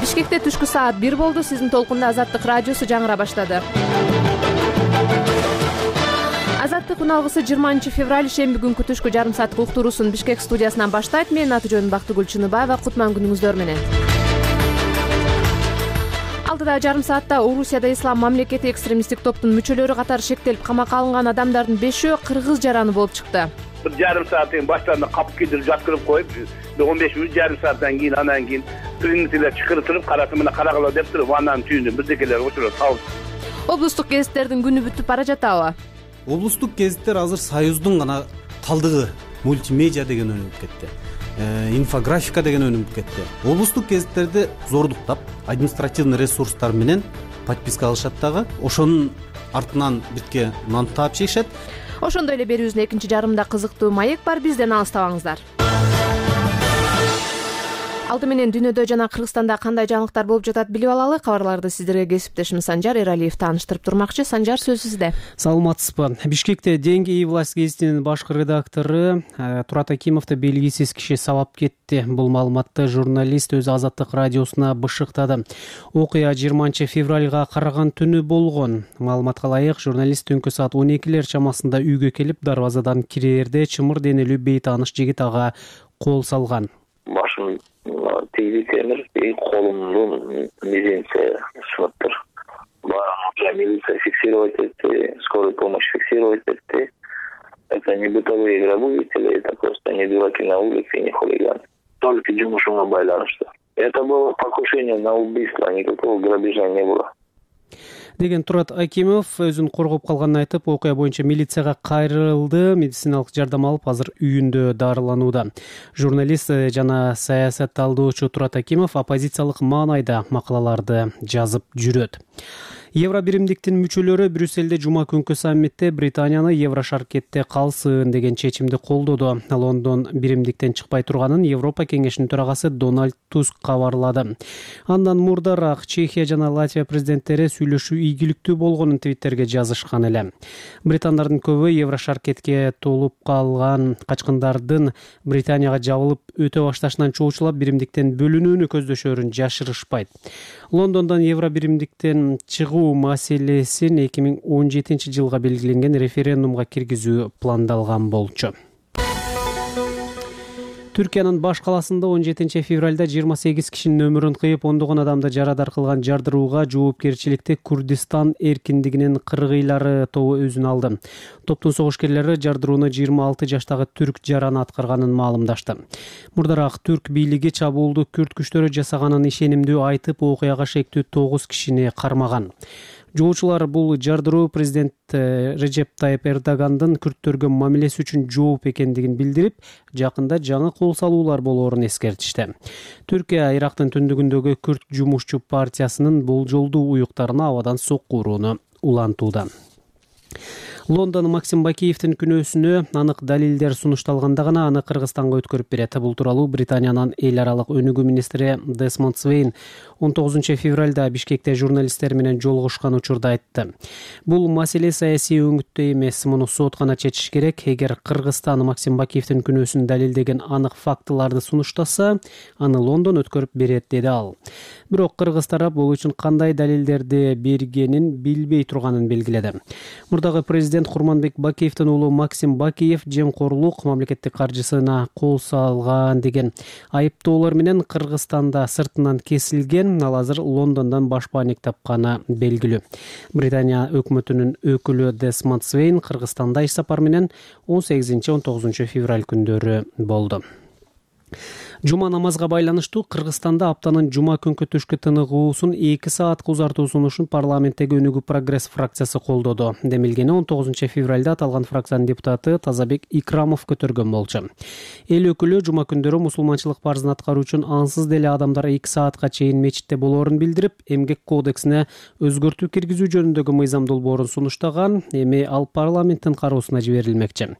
Бишкекте түшкү саат 1 болду. Сиздин толкунда Азаттык радиосу жаңыра баштады. Азаттык үналгысы 20 февраль шемби күнкү түшкү жарым сааттык уктуруусун Бишкек студиясынан баштайт. Менин аты жөнүм Бактыгүл Чыныбаева. Кутман күнүңүздөр менен. Алдыда жарым саатта Орусияда ислам мамлекети экстремисттик топтун мүчөлөрү катары шектелип камакка алынган адамдардын 5-өө кыргыз жараны болуп чыкты. Bir yarım saatin başlarında kapı gidirip jatkırıp koyup 15 minut yarım saatten keyin anan keyin primitiler çıkırtırıp karasımına karakala dep turup ananın tüyünü birdekeler oturup sağlıp. Облустук гезиттердин күнү бүтүп бара жатабы? Облустук гезиттер азыр Союздун гана калдыгы. Мультимедиа деген өнүгүп кетти. Инфографика деген өнүгүп кетти. Облустук гезиттерди зордуктап, административный ресурстар менен подписка алышат дагы. Ошонун артынан битке нан таап жейишет. Ошондой эле берүүбүздүн экинчи жарымында кызыктуу маек бар. Бизден алыстабаңыздар. Алды менен дүйнөдө жана Кыргызстанда кандай жаңылыктар болуп жатат билип алалы. Кабарларды сиздерге кесиптешим Санжар Эралиев тааныштырып турмакчы. Санжар, сөз сизде. Саламатсызбы? Бишкекте «Деньги и власть» гезитинин башкы редактору Турат Акимовду белгисиз киши сабап кетти. Бул маалыматты журналист өз Азаттык радиосуна бышыктады. Окуя 20 февралга караган түнү болгон. Маалыматка ылайык, журналист түнкү саат 12 чамасында үйгө келип, дарбазадан кирээрде чымыр денелүү бейтааныш жигит ага кол салган. Башым тийди темир, колумдун мизинче сыныптыр. Бара милиция фиксировать этти, скорая помощь фиксировать этти. Это не бытовые грабители, это просто не дураки на улице и не хулиганы. Только жумушуңа байланыштуу. Это было покушение на убийство, никакого грабежа не было. Деген Турат Акимов өзүн коргоп калганын айтып, окуя боюнча милицияга кайрылды, медициналык жардам алып, азыр үйүндө дарыланууда. Журналист жана саясатталдоочу Турат Акимов оппозициялык маанайда макалаларды жазып жүрөт. Евро биримдиктин мүчөлөрү Брюссельде жума күнкү саммитте Британияны Евро шаркетте калсын деген чечимди колдоду. Лондон биримдиктен чыкпай турганын Европа кеңешинин төрагасы Дональд Туск кабарлады. Андан мурдараак Чехия жана Латвия президенттери сүйлөшүү ийгиликтүү болгонун Твиттерге жазышкан эле. Британдардын көбү Евро шаркетке толуп калган качкындардын Британияга жабылып өтө башташынан чоочулап биримдиктен бөлүнүүнү көздөшөрүн жашырышпайт. Лондондон Евро биримдиктен чыгуу маселесин 2017 жылга белгиленген референдумга киргизүү пландалган болчу. Түркиянын баш каласында 17 февралда 28 кишинин өмүрүн кыйып, ондогон адамды жарадар кылган жардырууга жоопкерчиликти Курдистан эркиндигинин кыргыйлары тобу өзүн алды. Топтун согушкерлери жардырууну 26 жаштагы түрк жараны аткарганын маалымдашты. Мурдараак түрк бийлиги чабуулду күрд күчтөрү жасаганын ишенимдүү айтып, окуяга шектүү 9 кишини кармаган. Жоочулар бул жардыруу президент Режеп Тайып Эрдогандын күрттөргө мамилеси үчүн жооп экендигин билдирип, жакында жаңы кол салуулар болоорун эскертишти. Түркия Ирактын түндүгүндөгү күрт жумушчу партиясынын болжолдуу уюктарына абадан сокку урууну улантууда. Лондон Максим Бакиевдин күнөөсүнө анык далилдер сунушталганда гана аны Кыргызстанга өткөрүп берет. Бул тууралуу Британиянын эл аралык өнүгүү министри Десмонд Свейн 19 февралда Бишкекте журналисттер менен жолугушкан учурда айтты. Бул маселе саясий өңүттө эмес, муну соткана чечиш керек. Эгер Кыргызстан Максим Бакиевдин күнөөсүн далилдеген анык фактыларды сунуштаса, аны Лондон өткөрүп берет, деди ал. Бирок кыргыз тарап бул үчүн кандай далилдерди бергенин билбей турганын белгиледи. Мурдагы президент Курманбек Бакиевдин уулу Максим Бакиев жемкорлук, мамлекеттик каржысына кол салган деген айыптоолор менен Кыргызстанда сыртынан кесилген, ал азыр Лондондон башпаанек тапканы белгилүү. Британия өкмөтүнүн өкүлү Десмонд Свейн Кыргызстанда иш сапар менен 18-19 февраль күндөрү болду. Жума намазга байланыштуу Кыргызстанда аптанын жума күнкү түшкү тыныгуусун 2 саатка узартуу сунушун парламенттеги өнүгүү прогресс фракциясы колдоду. Демилгени 19 февралда аталган фракциянын депутаты Тазабек Икрамов көтөргөн болчу. Эл өкүлү жума күндөрү мусулманчылык парзын аткаруу үчүн ансыз деле адамдар 2 саатка чейин мечитте болоорун билдирип, эмгек кодексине өзгөртүү киргизүү жөнүндөгү мыйзам долбоорун сунуштаган. Эми ал парламенттин кароосуна жиберилмекчи.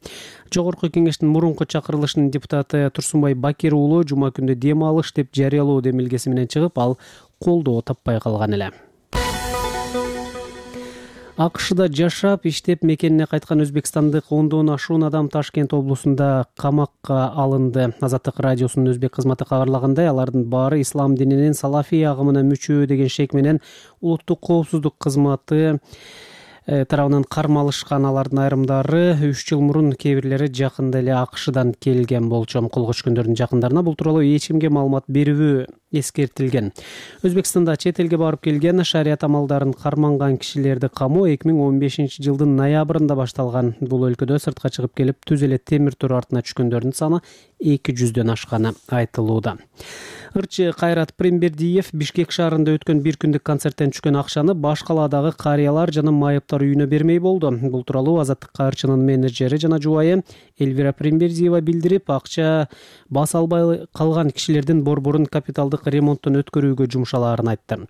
Жогорку кеңештин мурунку чакырылышынын депутаты Турсунбай Бакир уулу жума күндө дем алыш деп жарыялоо демилгеси менен чыгып, ал колдоо таппай калган эле. АКШда жашап иштеп мекенине кайткан өзбекстандык 10дон ашуун адам Ташкент облусунда камакка алынды. Азаттык радиосунун өзбек кызматы кабарлагандай, алардын баары ислам дининин салафий агымына мүчө деген шек менен улуттук коопсуздук кызматы тарабынан кармалышкан. Алардын айрымдары 3 жыл мурун, кээ бирлери жакында эле АКШдан келген болчу. Колго түшкөндөрдүн жакындарына бул тууралуу эч кимге маалымат берүүбү эскертилген. Өзбекстанда чет элге барып келген шарият амалдарын карманган кишилерди камоо 2015-жылдын ноябрында башталган. Бул өлкөдө сыртка чыгып келип түз эле темир тор артына түшкөндөрдүн саны 200дөн ашканы айтылууда. Ырчы Кайрат Прембердиев Бишкек шаарында өткөн бир күндүк концерттен түшкөн акчаны баш калаадагы карыялар жана майыптар үйүнө бермей болду. Бул тууралуу Азаттыкка ырчынын менеджери жана жубайы Эльвира Прембердиева билдирип, акча баса албай калган кишилердин борборун капиталдык ремонттон өткөрүүгө жумшалаарын айтты.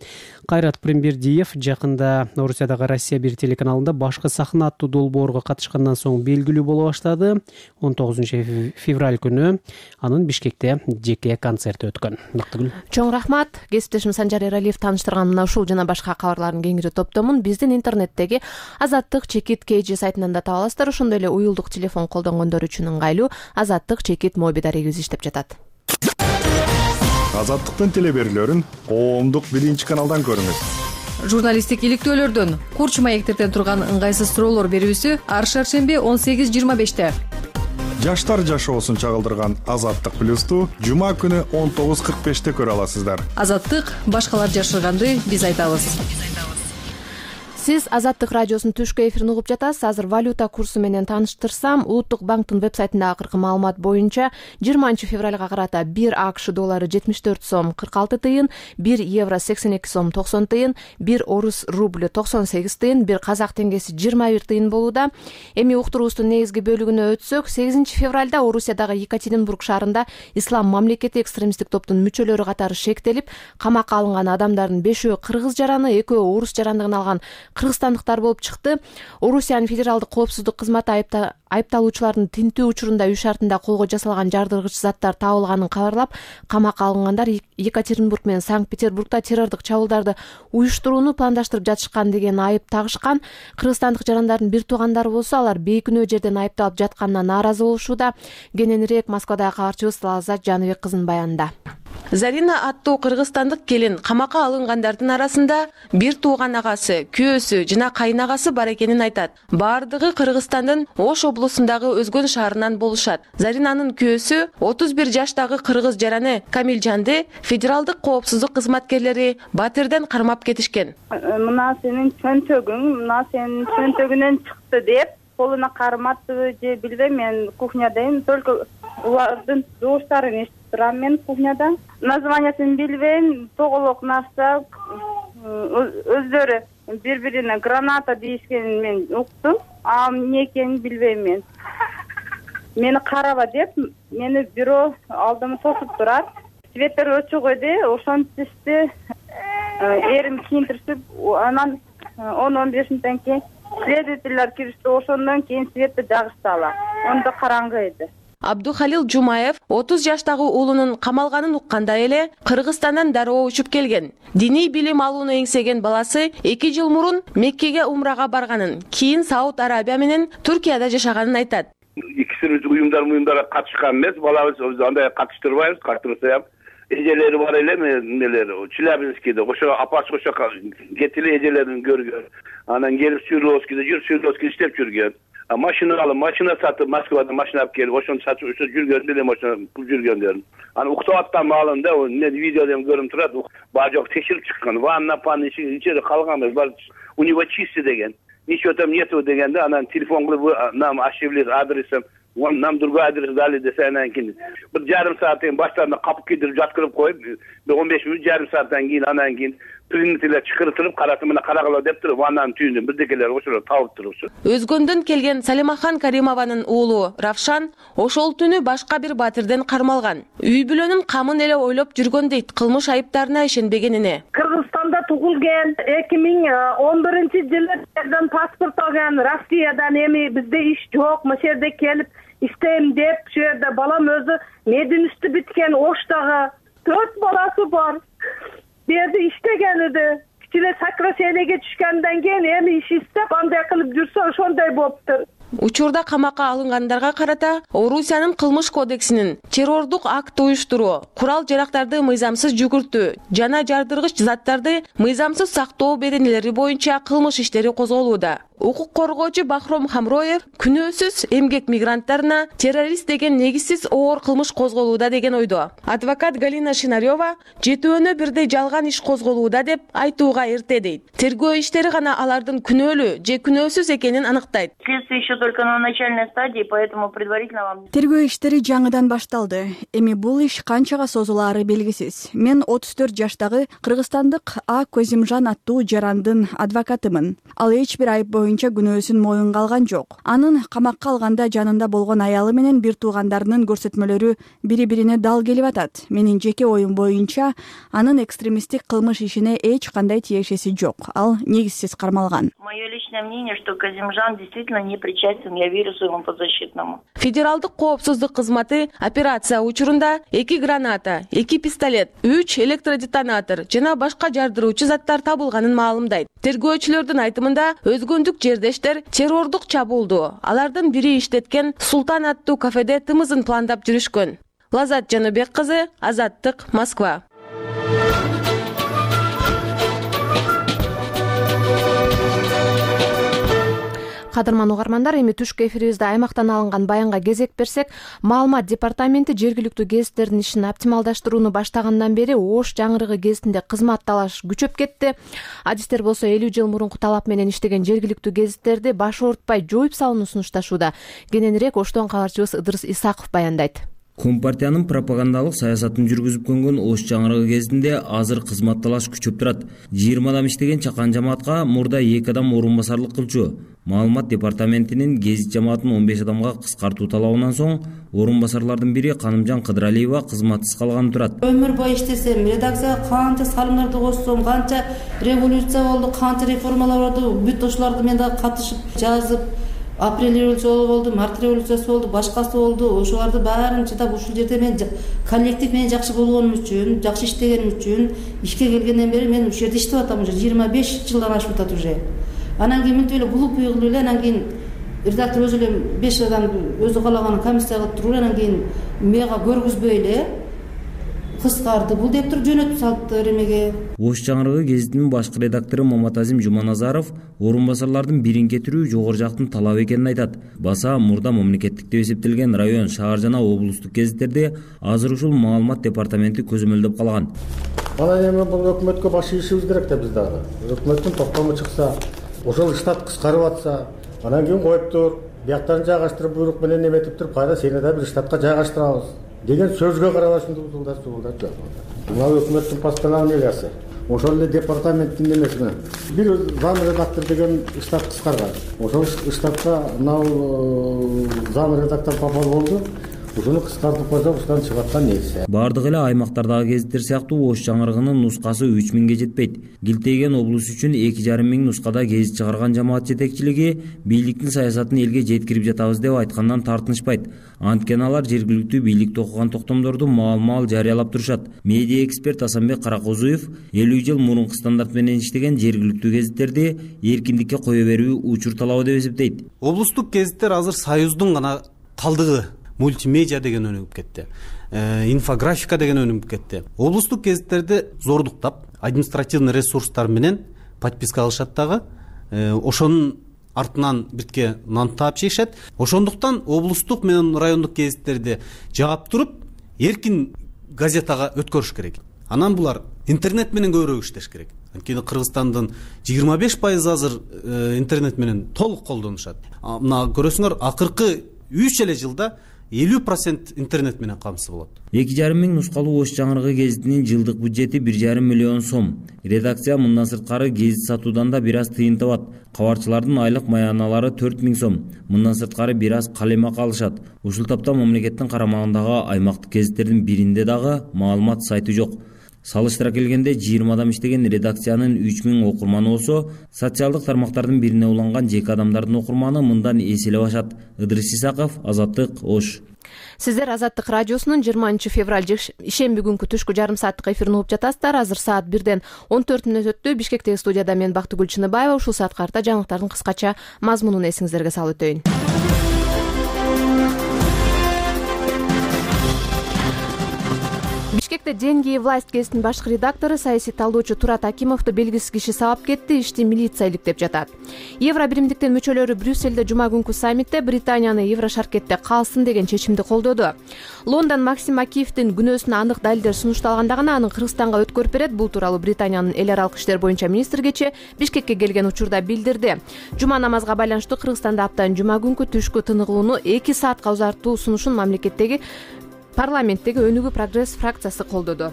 Кайрат Прембердиев жакында Орусиядагы Россия 1 телеканалында башкы сахна аттуу долбоорго катышкандан соң белгилүү боло баштады. 19 февраль күнү анын Бишкекте жеке концерти өткөн. Бактыгүл. Чоң рахмат. Кесиптешим Санжар Эралиев тааныштырган мына ушул жана башка кабарлардын кеңири топтомун биздин интернеттеги Азаттык чекит KG сайтынан да таба аласыздар. Ошондой эле уюлдук телефон колдонгондор үчүн ыңгайлуу Азаттык чекит моби дарегибиз иштеп жатат. Азаттыктын телеберүүлөрүн коомдук 1-каналдан көрүңүз. Журналисттик иликтөөлөрдөн, курч маектерден турган ыңгайсыз суроолор берүүсү ар шаршемби 18:25-те. Жаштар жашоосун чагылдырган Азаттык плюсту жума күнү 19:45-те көрө аласыздар. Азаттык башкалар жашырганды биз айтабыз. Сиз Азаттык радиосунун түшкү эфирин угуп жатасыз. Азыр валюта курсу менен тааныштырсам, Улуттук банктын веб-сайтындагы акыркы маалымат боюнча 20 февралга карата 1 АКШ доллары 74 сом 46 тыйын, 1 евро 82 сом 90 тыйын, 1 орус рубль 98 тыйын, 1 казак теңгеси 21 тыйын болууда. Эми уктуруубуздун негизги бөлүгүнө өтсөк, 8 февралда Орусиядагы Екатеринбург шаарында ислам мамлекети экстремисттик топтун мүчөлөрү катары шектелип, камакка алынган адамдардын 5-өө кыргыз жараны, 2-өө орус жарандыгын алган кыргызстандыктар болуп чыкты. Орусиянын федералдык коопсуздук кызматы айыпталуучулардын тинтүү учурунда үй шартында колго жасалган жардыргыч заттар табылганын кабарлап, камакка алынгандар Екатеринбург менен Санкт-Петербургда террордук чабуулдарды уюштурууну пландаштырып жатышкан деген айып тагышкан. Кыргызстандык жарандардын бир туугандары болсо, алар бейкүнөө жерден айыпталып жатканына нааразы болушууда. Кененирээк Москвадагы кабарчыбыз Лаззат Жаныбек кызынын баянында. Зарина аттуу кыргызстандык келин камакка алынгандардын арасында бир тууган агасы, күйөөсү жана кайнагасы бар экенин айтат. Баардыгы Кыргызстандын Ош облусундагы Өзгөн шаарынан болушат. Заринанын күйөөсү 31 жаштагы кыргыз жараны Камилжанды федералдык коопсуздук кызматкерлери Батырдан кармап кетишкен. Мына сенин чөнтөгүң, мына сенин чөнтөгүнөн чыкты деп колуна карматты же билбейм, мен кухнядайм, только улардын жууштарын эшитип турам мен кухняда. Названиясын билбейм, тоголок нарса, өздөрү бири-бирине граната дейишкенин мен уктум. Эмне экенин билбейм мен. Мени караба деп, мени бирөө алдыма тосуп турат. Светтер өчүк эди, ошентишти эрим кийинтиришип, анан 10-15 мүнөттөн кийин следовательдер киришти, ошондон кийин светти жагышталар. Онда караңгы эди. Абдухалил Жумаев 30 жаштагы уулунун камалганын уккандай эле Кыргызстандан дароо учуп келген. Диний билим алууну эңсеген баласы 2 жыл мурун Меккеге умрага барганын, кийин Сауд Арабия менен Туркияда жашаганын айтат. Икисибиз уюмдарга катышкан эмес, балабыз андай катыштырбайбыз, катыштырса ham эжелери бар эле, эмелер Челябинскийде, ошо апасы ошо кетиле эжелерин көргөн. Анан келип Свердловскийде иштеп жүргөн. Машина алып, машина сатып, Москвадан машина алып келип, ошону сатып жүргөн делем, ошо жүргөндөрүн. Анан уктап аттан маалында, видеодон көрүнүп турат, баа жок текшерип чыккан. Ванна, панна ичери калган эмес, бар у него чисто деген. Ничего там нету дегенде, анан телефон кылып, нам ошиблись адресом, нам другой адрес дали десе, анан кийин бир жарым сааттан баштарына капып кийдирип жаткырып коюп, 15 мүнөт жарым сааттан кийин анан кийин принтерлер чакыртып, карасымына карагыла деп туруп, анан түйүндөн бирдекелер ошолор табып турупчу. Өзгөндөн келген Салимахан Каримованын уулу Равшан ошол түнү башка бир батирден кармалган. Үй бүлөнүн камын эле ойлоп жүргөн дейт, кылмыш айыптарына ишенбегенине. Кыргызстанда тугулган, 2011-жылы жерден паспорт алган, Россиядан, эми бизде иш жок, мына жерде келип иштейм деп, шу жерде балам өзү мединисти бүткен, Оштагы 4 баласы бар. Берди иштеген эди. эле сокращениеге түшкөндөн кийин эми иш издеп андай кылып жүрсө ошондой болуптур. Учурда камакка алынгандарга карата Орусиянын кылмыш кодексинин террордук акт уюштуруу, курал-жарактарды мыйзамсыз жүгүртүү жана жардыргыч заттарды мыйзамсыз сактоо беренелери боюнча кылмыш иштери козголууда. Укук коргоочу Бахром Хамроев күнөөсүз эмгек мигранттарына террорист деген негизсиз оор кылмыш козголууда деген ойдо. Адвокат Галина Шинарёва жетөөнө бирдей жалган иш козголууда деп айтууга эрте дейт. Тергөө иштери гана алардын күнөөлүү же күнөөсүз экенин аныктайт. Следствие еще только на начальной стадии, поэтому предварительно вам... Тергөө иштери жаңыдан башталды. Эми бул иш канчага созулаары белгисиз. Мен 34 жаштагы кыргызстандык А Козимжан аттуу жарандын адвокатымын. Ал эч бир айып боюнча күнөөсүн моюнга алган жок. Анын камакка алганда жанында болгон аялы менен бир туугандарынын көрсөтмөлөрү бири-бирине дал келип атат. Менин жеке оюм боюнча анын экстремисттик кылмыш ишине эч кандай тиешеси жок. Ал негизсиз кармалган. Мое личное мнение, что Козимжан действительно не причастен, я верю своему подзащитному. Федералдык коопсуздук кызматы операция учурунда 2 граната, 2 пистолет, 3 электродетонатор жана башка жардыруучу заттар табылганын маалымдайт. Тергөөчүлөрдүн айтымында өзгөндүк жердештер террордук чабуулду алардын бири иштеткен Султан аттуу кафеде тымызын пландап жүрүшкөн. Лазат Жаныбек кызы, Азаттык, Москва. Кадырман угармандар, эми түшкү эфирибизде аймактан алынган баянга кезек берсек, маалымат департаменти жергиликтүү гезиттердин ишин оптималдаштырууну баштагандан бери Ош жаңырыгы гезитинде кызмат талаш күчөп кетти. Адистер болсо 50 жыл мурунку талап менен иштеген жергиликтүү гезиттерди баш оорутпай жоюп салууну сунушташууда. Кененирээк Оштон кабарчыбыз Ыдырыс Исаков баяндайт. Компартиянын пропагандалык саясатын жүргүзүп көнгөн Ош жаңырыгы кезинде азыр кызмат талаш күчөп турат. 20 адам иштеген чакан жамаатка мурда 2 адам орун басарлык кылчу. Маалымат департаментинин гезит жамаатын 15 адамга кыскартуу талабынан соң орун басарлардын бири Канымжан Кыдыралиева кызматсыз калган турат. Өмүр бою иштесем, редакцияга канча салымдарды кошсом, канча революция болду, канча реформалар болду, бүт ошолорду мен да катышып жазып, апрель революциясы болду, март революциясы болду, башкасы болду. Ошолорду баарын чыдап ушул жерде мен коллектив менен жакшы болгонум үчүн, жакшы иштегеним үчүн ишке келгенден бери мен ушул жерде иштеп атам, уже 25 жылдан ашып атат уже. Анан кийин мынтип эле глупый кылып эле, анан кийин редактор өзү эле 5 адамды өзү каалаган комиссия кылып туруп, анан кийин мага көргүзбөй эле кыскарды бул деп туруп жөнөтүп салыптыр эмеге. Ош жаңырыгы гезитинин башкы редактору Маматазим Жуманазаров орун басарлардын бирин кетирүү жогору жактын талабы экенин айтат. Баса мурда мамлекеттик деп эсептелген район, шаар жана облустук гезиттерде азыр ушул маалымат департаменти көзөмөлдөп калган. Анан эми бул өкмөткө баш ийишибиз керек да биз дагы. Өкмөттүн токтому чыкса, ошол штат кыскарып атса, анан кийин коюптур, бияктарын жайгаштырып буйрук менен эметип туруп, кайра сени да бир штатка жайгаштырабыз деген сөзгө карабай ушинтип ушулдар жок. Мына өкмөттүн постановлениясы, ошол эле департаменттин эмесине бир зам редактор деген штат кыскарган. Ошол штатка мына зам редактор попал болду. Ушуну кыскартып койсок, ушудан чыгып аткан нерсе. Бардык эле аймактардагы гезиттер сыяктуу Ош жаңырыгынын нускасы 3000ге жетпейт. Гилтейген облус үчүн 2,5 миң нускада гезит чыгарган жамаат жетекчилиги бийликтин саясатын элге жеткирип жатабыз деп айткандан тартынышпайт. Анткени алар жергиликтүү бийликте окуган токтомдорду маал-маал жарыялап турушат. Медиа эксперт Асанбек Каракозуев 50 жыл мурунку стандарт менен иштеген жергиликтүү гезиттерди эркиндикке кое берүү учур талабы деп эсептейт. Облустук гезиттер азыр Союздун гана калдыгы. Мультимедиа деген өнүгүп кетти. Инфографика деген өнүгүп кетти. Облустук гезиттерди зордуктап, административный ресурстар менен подписка алышат дагы. Ошонун артынан бирке нан таап жейишет. Ошондуктан облустук менен райондук гезиттерди жаап туруп, эркин газетага өткөрүш керек. Анан булар интернет менен көбүрөөк иштеш керек. Анткени Кыргызстандын 25% азыр интернет менен толук колдонушат. Мына көрөсүңөр, акыркы 3 эле жылда 50% интернет менен камсыз болот. 2,5 миң нускалуу Ош жаңырыгы гезитинин жылдык бюджети 1,5 миллион сом. Редакция мындан сырткары гезит сатуудан да бир аз тыйын табат. Кабарчылардын айлык маяналары 4 миң сом. Мындан сырткары бир аз калемак алышат. Ушул тапта мамлекеттин карамагындагы аймактык гезиттердин биринде дагы маалымат сайты жок. Салыштыра келгенде 20 адам иштеген редакциянын 3000 окурманы болсо, социалдык тармактардын бирине уланган жеке адамдардын окурманы мындан эселеп ашат. Ыдырыс Исаков, Азаттык, Ош. Сиздер Азаттык радиосунун 20 февраль ишемби күнкү түшкү жарым сааттык эфирин угуп жатасыздар. Азыр саат 1-ден 14 мүнөт өттү. Бишкектеги студияда мен Бактыгүл Чыныбаева. Ушул саатка карата жаңылыктардын кыскача мазмунун эсиңиздерге салып өтөйүн. Бишкекте «Деньги и власть» гезитинин башкы редактору, саясий талдоочу Турат Акимовду белгисиз киши сабап кетти, ишти милиция иликтеп жатат. Евро биримдиктин мүчөлөрү Брюссельде жума күнкү саммитте Британияны Евро шаркетте калсын деген чечимди колдоду. Лондон Максим Акиевдин күнөөсүнө анык далилдер сунушталганда гана аны Кыргызстанга өткөрүп берет. Бул тууралуу Британиянын эл аралык иштер боюнча министри кечээ Бишкекке келген учурда билдирди. Жума намазга байланыштуу Кыргызстанда аптанын жума күнкү түшкү тыныгууну 2 саатка узартуу сунушун мамлекеттеги парламенттеги Өнүгүү прогресс фракциясы колдоду.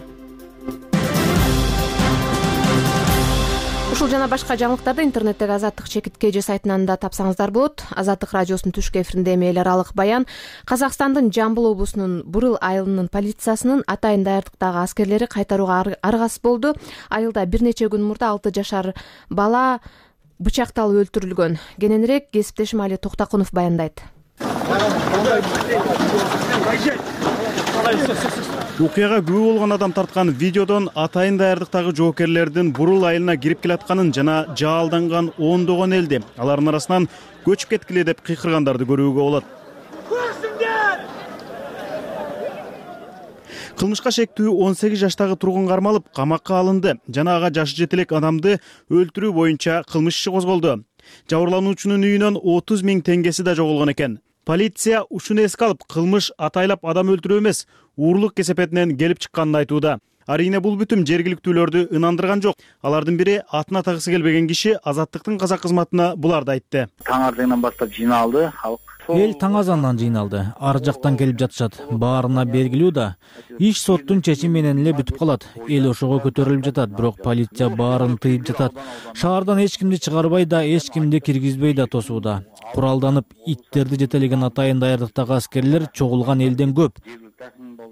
Ушул жана башка жаңылыктарды интернеттеги Азаттык ЧК сайтынан да тапсаңыздар болот. Азаттык радиосунун түшкү эфиринде эми эл аралык баян. Казакстандын Жамбыл облусунун Бурыл айылынын полициясынын атайын даярдыктагы аскерлери кайтарууга аргасыз болду. Айылда бир нече күн мурда 6 жашар бала бычакталып өлтүрүлгөн. Кененирээк кесиптешим Али Токтакунов баяндайт. Окуяга күбө болгон адам тарткан видеодон атайын даярдыктагы жоокерлердин Бурул айылына кирип келатканын жана жаалданган ондогон элди, алардын арасынан көчүп кеткиле деп кыйкыргандарды көрүүгө болот. Кылмышка шектүү 18 жаштагы тургун кармалып, камакка алынды жана ага жашы жете элек адамды өлтүрүү боюнча кылмыш иши козголду. Жабырлануучунун үйүнөн 30 000 теңгеси да жоголгон экен. Полиция ушуну эске алып, кылмыш атайлап адам өлтүрүү эмес, уурлук кесепетинен келип чыкканын айтууда. Арийне бул бүтүм жергиликтүүлөрдү ынандырган жок. Алардын бири атын атагысы келбеген киши Азаттыктын казак кызматына буларды айтты. Таң ардыңдан баштап жыйналды халык. Эл таң азандан жыйналды. Ар жактан келип жатышат. Баарына белгилүү да. Иш соттун чечими менен эле бүтүп калат. Эл ошого көтөрүлүп жатат, бирок полиция баарын тыйып жатат. Шаардан эч кимди чыгарбай да, эч кимди киргизбей да тосууда. Куралданып, иттерди жетелеген атайын даярдыктагы аскерлер чогулган элден көп.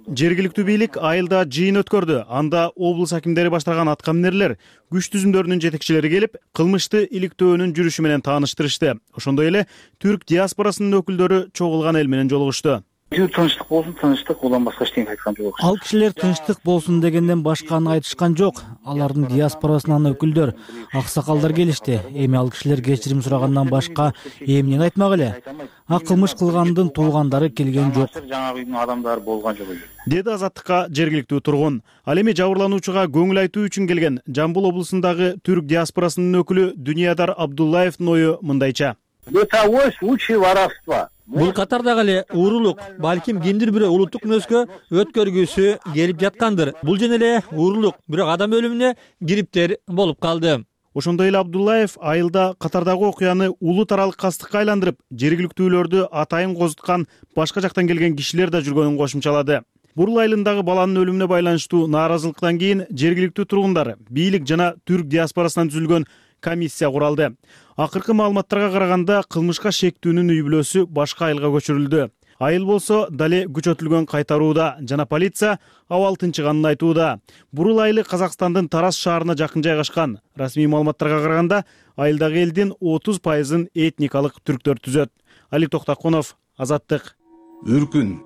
Жергиликтүү бийлик айылда жыйын өткөрдү. Анда облус акимдери баштаган аткаминерлер, күч түзүмдөрүнүн жетекчилери келип, кылмышты иликтөөнүн жүрүшү менен тааныштырышты. Ошондой эле түрк диаспорасынын өкүлдөрү чогулган эл менен жолугушту. Тынчтык болсун, тынчтык, улам башка эчтеке айткан жок. Ал кишилер тынчтык болсун дегенден башканы айтышкан жок. Алардын диаспорасынан өкүлдөр, аксакалдар келишти. Эми ал кишилер кечирим сурагандан башка эмнени айтмак эле? Кылмыш кылгандын туугандары келген жок. Жаңа үйдүн адамдары болгон жок. Деди Азаттыкка жергиликтүү тургун. Ал эми жабырлануучуга көңүл айтуу үчүн келген Жамбыл облусундагы түрк диаспорасынын өкүлү Дүниядар Абдуллаевдин ою мындайча. Бытовой случай воровства. Бул катардагы эле уурулук, балким кимдир бирөө улуттук мүнөзгө өткөргүсү келип жаткандыр. Бул жана эле уурулук, бирок адам өлүмүнө кириптер болуп калды. Ошондой эле Абдуллаев айылда катардагы окуяны улут аралык кастыкка айландырып, жергиликтүүлөрдү атайын козуткан башка жактан келген кишилер да жүргөнүн кошумчалады. Бурул айылындагы баланын өлүмүнө байланыштуу нааразылыктан кийин жергиликтүү тургундар, бийлик жана түрк диаспорасынан түзүлгөн комиссия куралды. Акыркы маалыматтарга караганда кылмышка шектүүнүн үй бүлөсү башка айылга көчүрүлдү. Айыл болсо дале күчөтүлгөн кайтарууда жана полиция абал тынчыганын айтууда. Бурул айылы Казакстандын Тарас шаарына жакын жайгашкан. Расмий маалыматтарга караганда айылдагы элдин 30% этникалык түрктөр түзөт. Али Токтакунов, Азаттык. Үркүн,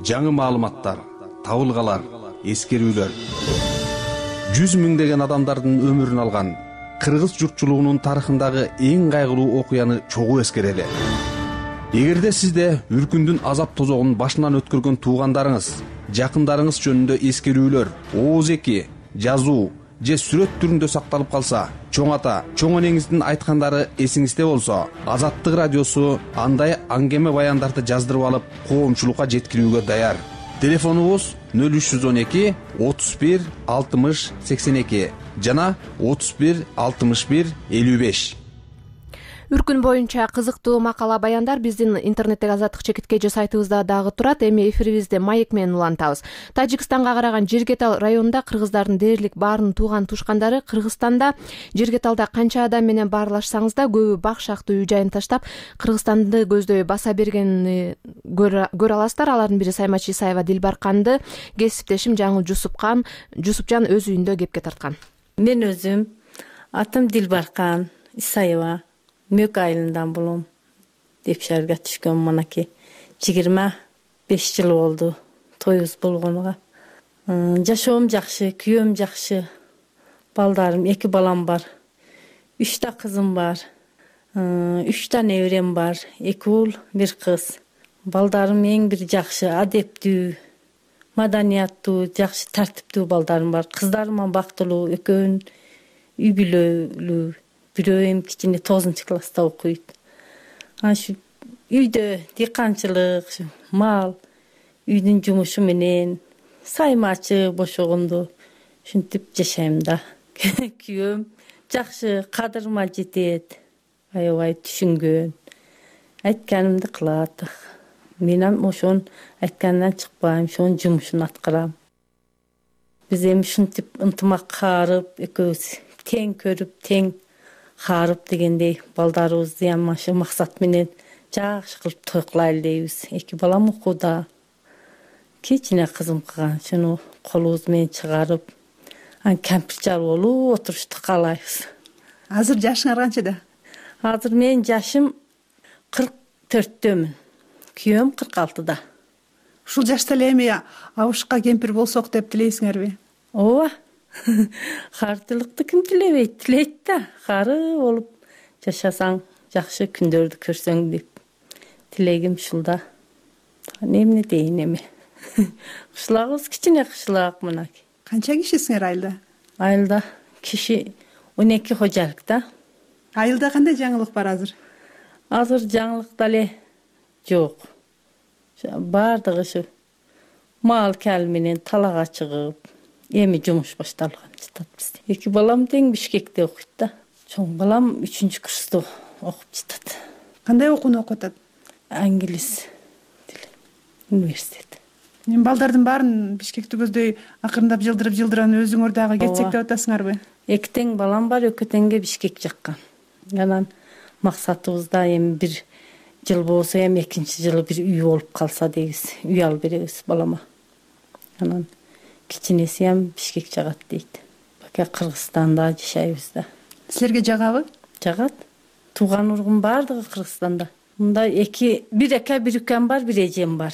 жаңы маалыматтар, табылгалар, эскерүүлөр. 100 миңдеген адамдардын өмүрүн алган кыргыз журтчулугунун тарыхындагы эң кайгылуу окуяны чогуу эскерели. Эгерде сизде үркүндүн азап тозогун башынан өткөргөн туугандарыңыз, жакындарыңыз жөнүндө эскерүүлөр, ооз эки, жазуу же сүрөт түрүндө сакталып калса, чоң ата, чоң энеңиздин айткандары эсиңизде болсо, Азаттык радиосу андай аңгеме баяндарды жаздырып алып, коомчулукка жеткирүүгө даяр. Телефонубуз 0312 31 60 82 жана 31 61 55. Үркүн боюнча кызыктуу макала баяндар биздин интернеттеги Азаттык ЧК сайтыбызда дагы турат. Эми эфирибизде маек менен улантабыз. Тажикстанга караган Жергетал районунда кыргыздардын дээрлик баарынын тууган тушкандары Кыргызстанда Жергеталда канча адам менен баарлашсаңыз да көбү бак шактуу үй жайын таштап Кыргызстанды көздөй баса бергенин көрө аласыздар. Алардын бири Саймачи Исаева Дилбарканды кесиптешим Жаңыл Жусупжан өз үйүндө кепке тарткан. Мен өзүм атым Дилбаркан Исаева. Мөк айылынан болом. Деп шаарга түшкөн манаки 21 5 жыл болду тоюбуз болгонуга. Жашоом жакшы, күйөөм жакшы. Балдарым, 2 балам бар. 3 та кызым бар. 3 та неберем бар. 2 уул, 1 кыз. Балдарым эң бир жакшы, адептүү, маданияттуу, жакшы тартиптүү балдарым бар. Кыздарым бактылуу, экөөнүн үй бүлөлүү. Бирөө эми кичине 9-класста окуйт. Ашу үйдө дыйканчылык, мал, үйдүн жумушу менен саймачы бошогонду ушинтип жашайм да. Күйөөм жакшы, кадырыма жетет. Аябай түшүнгөн. Айтканымды кылат. Мен ошонун айтканынан чыкпайм, ошонун жумушун аткарам. Биз эми ушинтип ынтымак каарып, экөөбүз тең көрүп, тең каарып дегендей балдарыбызды ашы максат менен жакшы кылып той кылайлы дейбиз. 2 балам окууда. Кичине кызым калган, шуну колубуз менен чыгарып, кампирчал болуп отурушту каалайбыз. Азыр жашыңар канчада? Азыр менин жашым 44дөмүн. Күйөөм 46да. Ушул жашта эле эми абышка кемпир болсок деп тилейсиңерби? Ооба. Картылыкты ким тилебейт? Тилейт да. Кары болуп жашасаң, жакшы күндөрдү көрсөң деп тилегим ушул да. Эмне дейин эми? Кышлагыбыз кичине кышлак мына. Канча кишисиңер айылда? Айылда киши 12 кожалык да. Айылда кандай жаңылык бар азыр? Азыр жаңылык дале жок. Бардыгы ушу мал кал менен талага чыгып, эми жумуш башталган жатат бизде. 2 балам тең Бишкекте окуйт да. Чоң балам 3-курста окуп жатат. Кандай окууну окуп атат? Англис тили университет. Мен балдардын баарын Бишкекти көздөй акырындап жылдырып өзүңөр дагы кетсек деп атасыңарбы? 2 тең балам бар, экөө теңге Бишкек жаккан. Анан максатыбызда эми 1 жыл болсо, эми 2-чи жылы бир үй болуп калса дейбиз. Үй алып беребиз балама. Анан кичинеси ham Бишкек жагат дейт. Бака Кыргызстанда жашайбыз да. Силерге жагабы? Жагат. Тууган ургум бардыгы Кыргызстанда. Мында 1 ака, 1 укам бар, 1 эжем бар.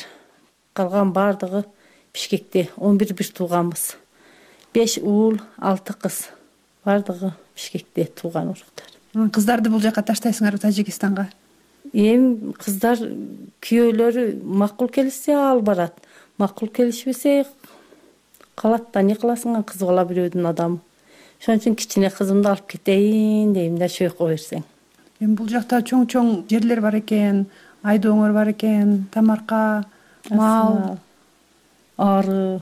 Калган бардыгы Бишкекте. 11 тууганбыз. 5 уул, 6 кыз. Бардыгы Бишкекте тууган уруктар. Кыздарды бул жака таштайсыңарбы, Тажикстанга? Эми кыздар күйөөлөрү макул келсе ал барат. Макул келишпесе калат да, не кыласың, кыз бала бирөөдүн адамы. Ошон үчүн кичине кызымды алып кетейин дейм да, чөйкө берсең. Эми бул жакта чоң жерлер бар экен, айдооңор бар экен, тамарка, мал, ары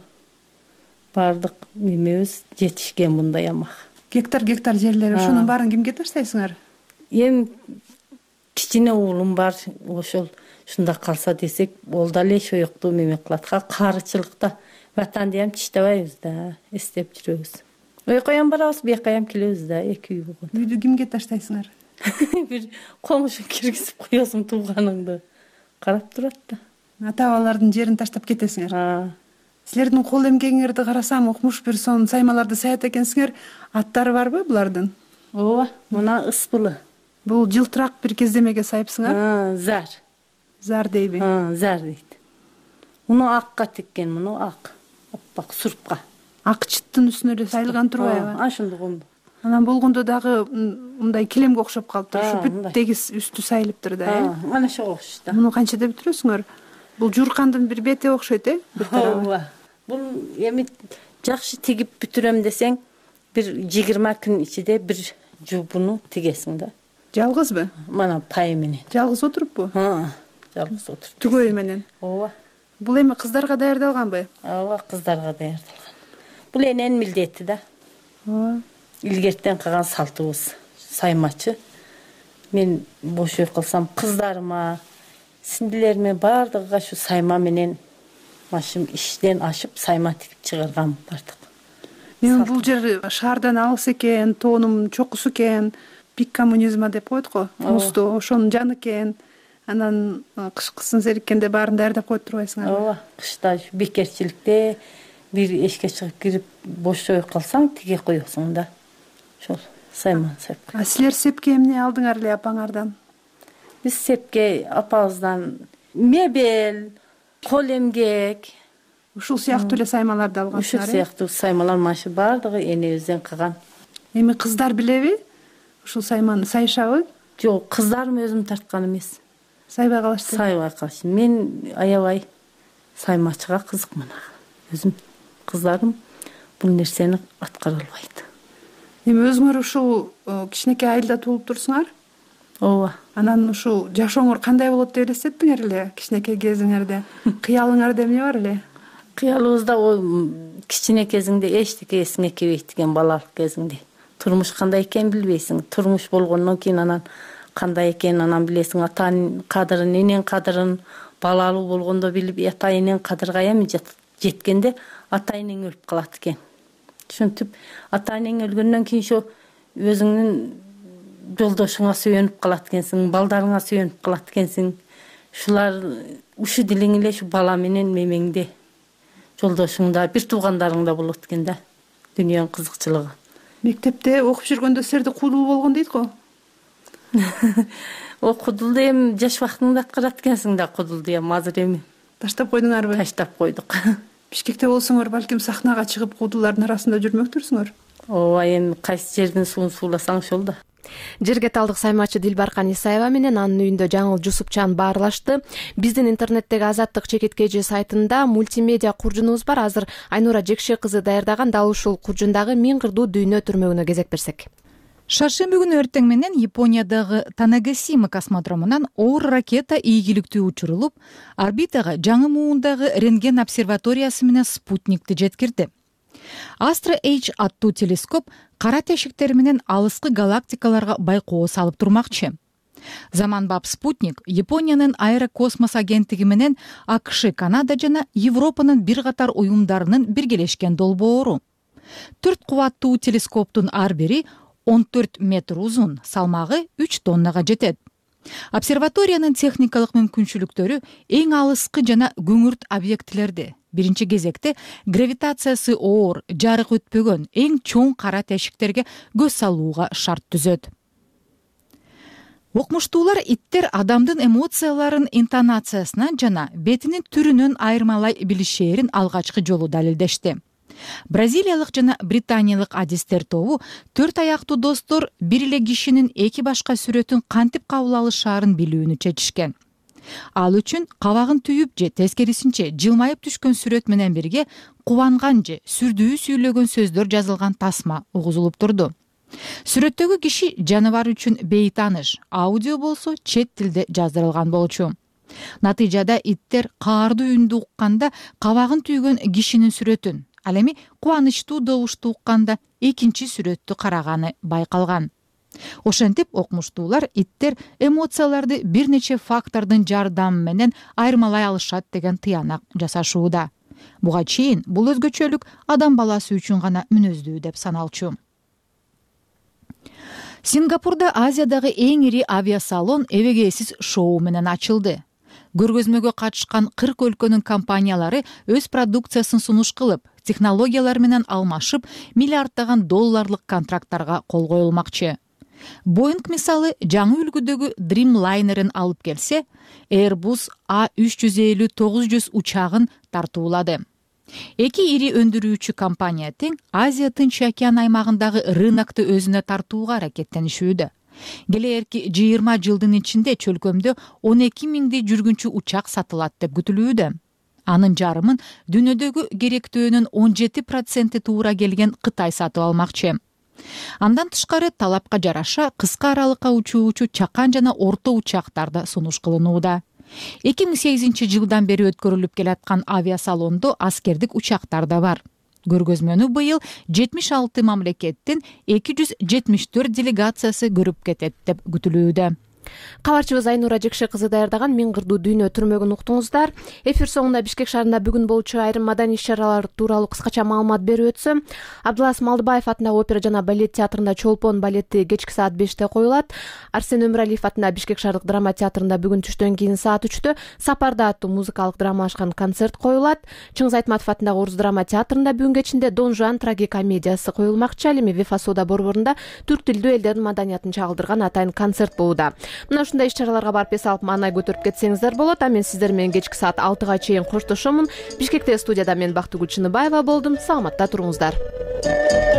бардык эмебиз жетишкен мындай амак. Гектар жерлер, ошонун баарын кимге таштайсыңар? Эми кичине уулум бар, ошол ушунда калса десек, ол дале шоюкту меме кылат. Карычылыкта ватанды ham тиштебайбыз да, эстеп жүрөбүз. Ойкоям барабыз, бияка келебиз да, 2 үй болгон. Үйдү кимге таштайсыңар? Бир комушу киргизип коесуң тууганыңды. Карап турат да. Ата-бабалардын жерин таштап кетесиңер. Силердин кол эмгегиңерди карасам, укмуш бир сон саймаларды саят экенсиңер. Аттары барбы булардын? Ооба, мына Ыспылы. Бул жылтырак бир кездемеге сайыпсыңар? Зар. Зар дейби? Зар дейт. Муну акка теккен, муну ак. Оппак сурпка. Ак чыттын үстүнө эле сайылган турбайбы? Ошондой болду. Анан болгондо дагы мындай килемге окшоп калыптыр. Ушу бүт тегиз үстү сайылыптыр да, э? Мана ошого окшош да. Муну канчада бүтүрөсүңөр? Бул журкандын бир бети окшойт, э? Ооба. Бул эми жакшы тигип бүтүрөм десең, бир 20 күн ичинде бир жуупуну тигесиң да. Жалгызбы? Мана пай менен. Жалгыз отуруппу? Жалгыз отуруп. Түгөй менен. Ооба. Бул эми кыздарга даярдалганбы? Ооба, кыздарга даярдалган. Бул эненин милдети да. Ооба. Илгертен калган салтыбыз. Саймачы. Мен бош үй кылсам, кыздарыма, сиңдилериме бардыгыга шу сайма менен машым иштен ашып, сайма тигип чыгаргам бардык. Мен бул жер шаардан алыс экен, тоонум чокусу экен, пик коммунизма деп коет го, мусту, ошонун жаны экен. Анан кышкысын сериккенде баарын даярдап коюп турбайсыңар? Ооба, кышта бекерчиликте бир эшикке чыгып кирип бош үй калсаң, тиге коесуң да. Ошол сайма сеп. Силер сепке эмне алдыңар эле апаңардан? Биз сепке апабыздан мебель, кол эмгек ушул сыяктуу эле саймаларды алгансыздар. Ушул сыяктуу саймалар машы баардыгы энебизден калган. Эми кыздар билеби ушул сайманы, сайышабы? Жок, кыздарым өзүм тарткан эмес. Сайбай калышты. Сайбай калышты. Мен аябай саймачыга кызыкмын. Өзүм кыздарым бул нерсени аткара албайт. Эми өзүңөр ушул кичинекей айылда туулуп турсуңар? Ооба. Анан ушул жашооңор кандай болот деп элестеттиңер эле кичинекей кезиңерде? Кыялыңарда эмне бар эле? Кыялыбызда кичине кезиңде эчтеке эсиңе келбейт экен, балалык кезиңде. Турмуш кандай экенин билбейсиң. Турмуш болгондон кийин анан кандай экенин анан билесиң. Атанын кадырын, эненин кадырын балалуу болгондо билип, ата эненин кадырга эми жеткенде ата энең өлүп калат экен. Ушинтип ата энең өлгөндөн кийин ошо өзүңдүн жолдошуңа сүйөнүп калат экенсиң, балдарыңа сүйөнүп калат экенсиң. Ушулар ушу дилиң эле ушу бала менен мемеңде, жолдошуңда, бир туугандарыңда болот экен да. Дүйнөнүн кызыкчылыгы. Мектепте окуп жүргөндө силерде кудул болгон дейт го? Кудулду эми жаш убактыңда аткарат экенсиң да, кудулду эми азыр эми. Таштап койдуңарбы? Таштап койдук. Бишкекте болсоңор балким сахнага чыгып кудулардын арасында жүрмөктүрсүңөр? Ооба, эми кайсы жердин суун сууласаң ошол да. Жергеталдык саймачы Дилбаркан Исаева менен анын үйүндө Жаңыл Жусупчан баарлашты. Биздин интернеттеги Азаттык чекиткежи сайтында мультимедиа куржунубуз бар. Азыр Айнура Жекше кызы даярдаган дал ушул куржундагы Миң кырдуу дүйнө түрмөгүнө кезек берсек. Шаршемби күнү эртең менен Япониядагы Танагасима космодромунан оор ракета ийгиликтүү учурулуп, орбитага жаңы муундагы рентген обсерваториясы менен спутникти жеткирди. Astro H аттуу телескоп кара тешиктер менен алыскы галактикаларга байкоо салып турмакчы. Заманбап спутник Япониянын аэрокосмос агенттиги менен АКШ, Канада жана Европанын бир катар уюмдарынын биргелешкен долбоору. 4 кубаттуу телескоптун ар бири 14 метр узун, салмагы 3 тоннага жетет. Обсерваториянын техникалык мүмкүнчүлүктөрү эң алыскы жана күңүрт объектилерди, биринчи кезекте гравитациясы оор, жарык өтпөгөн эң чоң кара тешиктерге көз салууга шарт түзөт. Окмуштуулар иттер адамдын эмоцияларын интонациясынан жана бетинин түрүнөн айырмалай билишээрин алгачкы жолу далилдешти. Бразилиялык жана британиялык адистер тобу 4 аяктуу достор бир эле кишинин эки башка сүрөтүн кантип кабыл алышаарын билүүнү чечишкен. Ал үчүн кабагын түйүп же тескерисинче жылмайып түшкөн сүрөт менен бирге кубанган же сүрдүү сүйлөгөн сөздөр жазылган тасма угузулуп турду. Сүрөттөгү киши жаныбар үчүн бейтааныш, аудио болсо чет тилде жаздырылган болчу. Натыйжада иттер каардуу үндү укканда кабагын түйгөн кишинин сүрөтүн, ал эми кубанычтуу добушту укканда экинчи сүрөттү караганы байкалган. Ошентип окмуштуулар иттер эмоцияларды бир нече фактордун жардамы менен айырмалай алышат деген тыянак жасашууда. Буга чейин бул өзгөчөлүк адам баласы үчүн гана мүнөздүү деп саналчу. Сингапурда Азиядагы эң ири авиасалон эбегейсиз шоу менен ачылды. Көргөзмөгө катышкан 40 өлкөнүн компаниялары өз продукциясын сунуш кылып, технологиялар менен алмашып, миллиарддаган долларлык контракттарга кол коюлмакчы. Boeing мисалы жаңы үлгүдөгү Dreamliner'ын алып келсе, Airbus A350-900 учагын тартуулады. Эки ири өндүрүүчү компания тең Азия Тынч океан аймагындагы рынокты өзүнө тартууга аракеттенишүүдө. Келээрки 20 жылдын ичинде чөлкөмдө 12 миңдей жүргүнчү учак сатылат деп күтүлүүдө. Анын жарымын дүйнөдөгү керектөөнүн 17% туура келген Кытай сатып алмакчы. Андан тышкары талапка жараша кыска аралыкка учуучу чакан жана орто учактарда сунуш кылынууда. 2008 жылдан бери өткөрүлүп келаткан авиасалондо аскердик учактар да бар. Көргөзмөнү быйыл 76 мамлекеттин 274 делегациясы көрүп кетет деп күтүлүүдө. Кабарчыбыз Айнура Жекше кызы даярдаган Миң кырдуу дүйнө түрмөгүн уктуңуздар. Эфир соңунда Бишкек шаарында бүгүн болчу айрым маданий иш-чаралар тууралуу кыскача маалымат берип өтсөм, Абдылас Малдыбаев атындагы опера жана балет театрында Чолпон балети кечки саат 5-те коюлат. Арсен Өмүралиев атындагы Бишкек шаардык драма театрында бүгүн түштөн кийин саат 3-тө Сапарда аттуу музыкалык драмалашкан концерт коюлат. Чыңгыз Айтматов атындагы Орус драма театрында бүгүн кечинде Дон Жуан трагикомедиясы коюлмакчы. Ал эми Вефасода борборунда түрк тилдүү элдердин маданиятын чагылдырган атайын концерт болууда. мына ушундай иш чараларга барып эс алып маанай көтөрүп кетсеңиздер болот. А мен сиздер менен кечки саат 6-га чейин коштошомун. Бишкекте студияда мен Бактыгүл Чыныбаева болдум. Саламатта туруңуздар.